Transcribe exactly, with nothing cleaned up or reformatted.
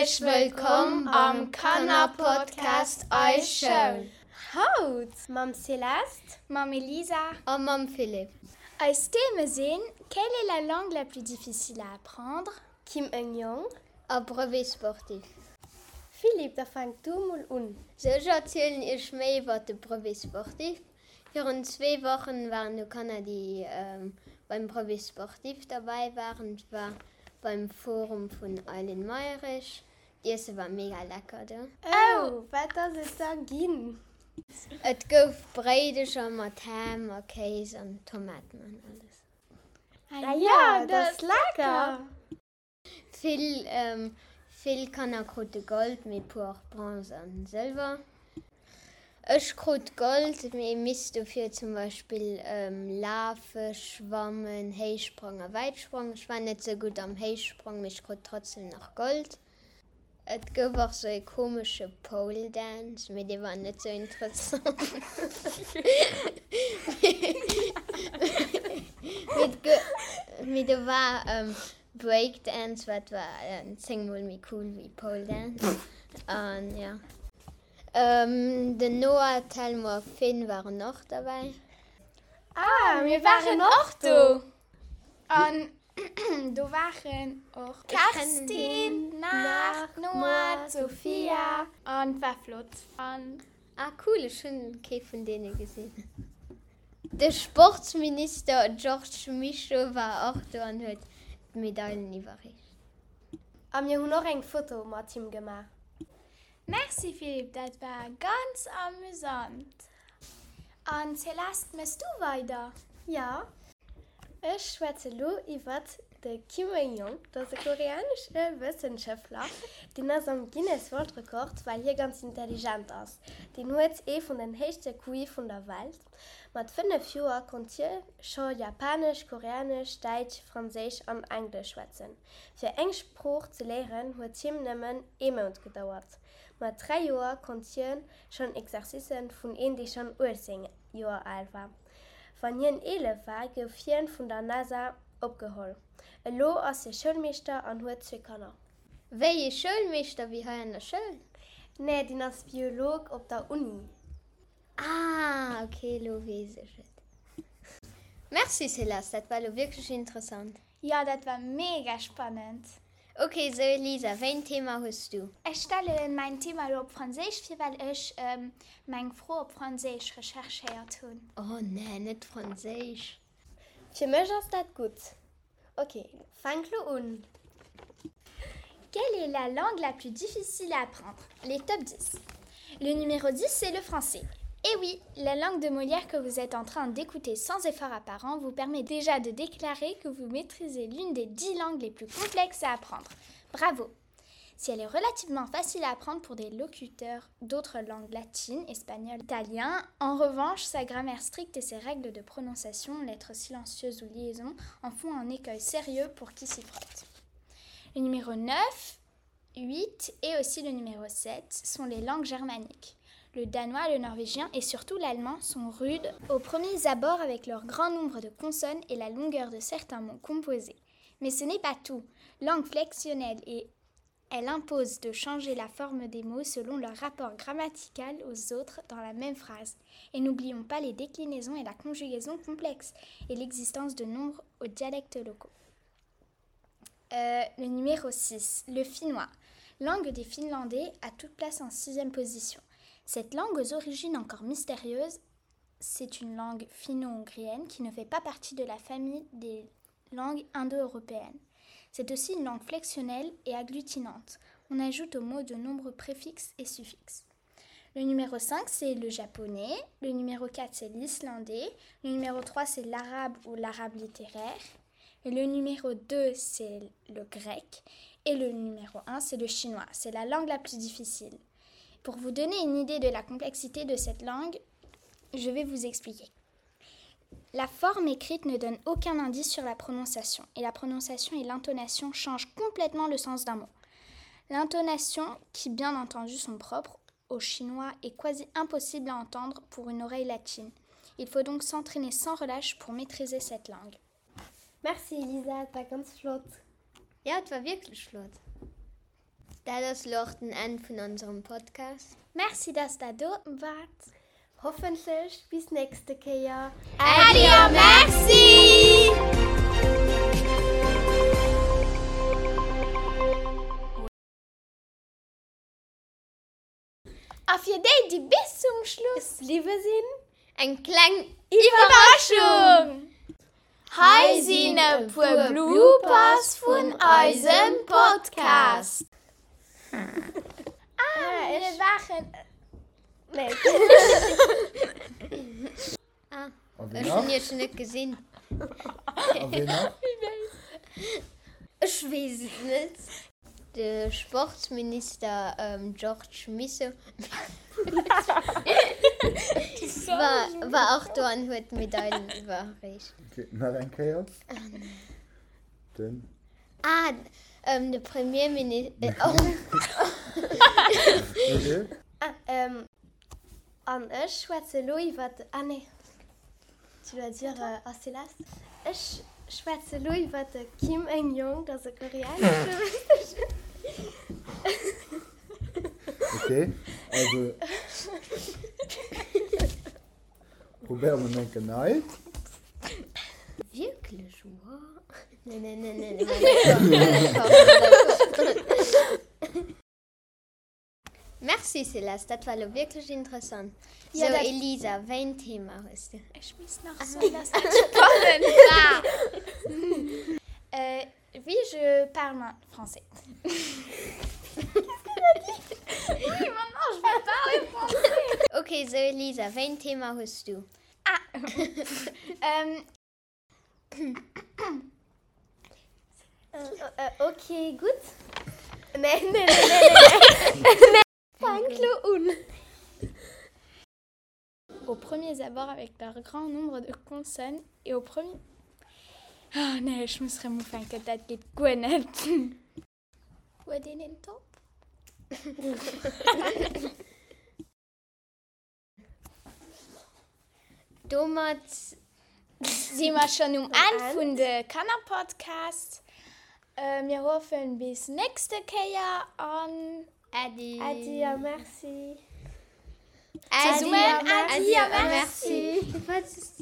Häerzlech wëllkomm am Kannerpodcast Eis Schoul! Haut mam Céleste, mam Elisa a mam Philippe. Eis Theme sinn, Quelle est la langue la plus difficile à apprendre? Kim Eung-Young a Brevet sportif. Philippe, da fänk du mol un. Sou, ech erzielen iech méi iwwert de Brevet sportif. Virun zwee Wochen waren do Kanner déi beim Brevet sportif derbäi waren. Et war beim Forum vun Eileen Mayrisch. D'Iesse war mega lecker do. Oh, wat ass et da ginn? Et gouf Bréidecher mat Ham a Kéis an Tomaten an alles. Ah jo, dat ass lecker! Vill, vill Kanner krute Gold, mee puer och Bronze an Sëlwer. Ech krut Gold, mee misst dofir zum Beispill lafe, schwammen, Héichsprong a Wäitsprong. Ech war net sou gutt am Héichsprong, mee ech krut trotzdem nach Gold. Et gouf och sou e komesche Pole Dance, mee dee war net sou interessant. Mee do war Breakdance, wat war zéng mol méi cool wéi Pole Dance. An jo. Den Noah, Telmo a Finn waren och derbäi. Ah, mir waren och do! An do waren och Kerstin, Marc, Noah, d'Sophia an et war flott. An. Ah cool, ech hunn kee vun deene gesinn. De Sportsminister Georges Mischo war och do an huet d'Medailen iwwerreecht. A mir hunn och eng Foto mat him gemaach. Merci Philippe, dat war ganz amüsant. An Céleste, mëss du weider? Jo, ech schwätze lo iwwert de Kim Eung-Young. Dat ass e koreanesche Wëssenschëftler, deen ass am Guinness World Record, well hie ganz intelligent ass. Deen huet ee vun den héichste Q I vun der Welt. Mat fënnef Joer konnt hie scho Japanesch, Koreanesch, Däitsch, Franséisch an Englesch schwätzen. Fir eng Sprooch ze léieren huet him nëmmen ee Mount gedauert. Mat dräi Joer konnt hien schonn Exercicen vun een dee schonn uechtzéng Joer al war. Wann hien eelef war, gouf hien vun der NASA opgeholl. Elo ass hie Schoulmeeschter an huet zwee Kanner. Wéi ee Schoulmeeschter? Wéi hei an der Schoul? Nee, deen ass Biolog op der Uni. Ah, ok, elo weess ech et. Merci Céleste, dat war elo wierklech interessant. Jo, dat war mega spannend. Ok, sou Elisa, wéi en Thema hues du? Ech stellen mäin Thema elo op Franséisch vir, well ech meng Fro op Franséisch recherchéiert hunn. Oh nee, net Franséisch. Fir mech ass dat gutt. Ok, fänk lo un. Quelle est la langue la plus difficile à apprendre? Les top dix. Le numéro dix, c'est le français. Eh oui, la langue de Molière que vous êtes en train d'écouter sans effort apparent vous permet déjà de déclarer que vous maîtrisez l'une des dix langues les plus complexes à apprendre. Bravo! Si elle est relativement facile à apprendre pour des locuteurs d'autres langues latines, espagnol, italien, en revanche, sa grammaire stricte et ses règles de prononciation, lettres silencieuses ou liaisons, en font un écueil sérieux pour qui s'y frotte. Le numéro neuf, huit et aussi le numéro sept sont les langues germaniques. Le danois, le norvégien et surtout l'allemand sont rudes aux premiers abords avec leur grand nombre de consonnes et la longueur de certains mots composés. Mais ce n'est pas tout. Langue flexionnelle et elle impose de changer la forme des mots selon leur rapport grammatical aux autres dans la même phrase. Et n'oublions pas les déclinaisons et la conjugaison complexes et l'existence de nombres aux dialectes locaux. Euh, le numéro six, le finnois. Langue des Finlandais à toute place en sixième position. Cette langue aux origines encore mystérieuses, c'est une langue finno-hongrienne qui ne fait pas partie de la famille des langues indo-européennes. C'est aussi une langue flexionnelle et agglutinante. On ajoute au mot de nombreux préfixes et suffixes. Le numéro cinq, c'est le japonais. Le numéro quatre, c'est l'islandais. Le numéro trois, c'est l'arabe ou l'arabe littéraire. Et le numéro deux, c'est le grec. Et le numéro un, c'est le chinois. C'est la langue la plus difficile. Pour vous donner une idée de la complexité de cette langue, je vais vous expliquer. La forme écrite ne donne aucun indice sur la prononciation, et la prononciation et l'intonation changent complètement le sens d'un mot. L'intonation, qui bien entendu sont propres au chinois, est quasi impossible à entendre pour une oreille latine. Il faut donc s'entraîner sans relâche pour maîtriser cette langue. Merci Elisa, et war ganz flott. Jo, et war wierklech flott. Dat ass lo och den Enn vun onserem Podcast. Merci, dass der do waart. Hoffentlech bis nächste Kéier. Äddi a Merci! A fir déi, déi bis zum Schluss bliwwe sinn, Eng kleng Iwwerraschung! Hei sinn e puer Bloopers vun eisem Podcast. Ah, mir waren. Nee. Ah, A wien ech hunn nach? iech net gesinn. A wien nach? Ech weess et net. De Sportsminister ähm, Georges Mischo war, war och do an huet d'Medailen iwwerreecht. Okay, nach eng Kéier. Den. Ah, ähm, de Premierminister. Äh, oh, Okay. Ah, ähm, an ech schwätze lo iwwer. Ah, nee. Tu dois dire euh, ah, Céleste. Ech schwätze lo iwwer de Kim Eng-Yong, dat ass e koreanesche Okay, also. Probéiere mer eng Kéier nei. Wierklech? Wow. Nee, nee, nee, nee, nee. Merci Céleste, dat war lo wierklech interessant. Ja, So, dat- Elisa, wéi en Thema hues du? Ech muss nach soen, dass dat spannend war. Euh, oui, je parle français. Qu'est-ce que t'as dit? Oui, maintenant je vais parler français. Okay, so Elisa, wéi en Thema hues du? Ah. euh, Äh, äh, okay, gutt. Nee, nee, nee, nee, nee. nee. Fänk lo un. Aux premiers abords avec leur grand nombre de consonnes et au premier. Oh nee, ech muss rëm ufänken, dat geet guer net. Huet een en Top? Domat Si mer schonn um Enn vun de Kannerpodcast. Äh, mir hoffen bis nächste Kéier an Äddi. Äddi a Merci. Äddi Zesummen a Äddi a Merci. Merci. Wat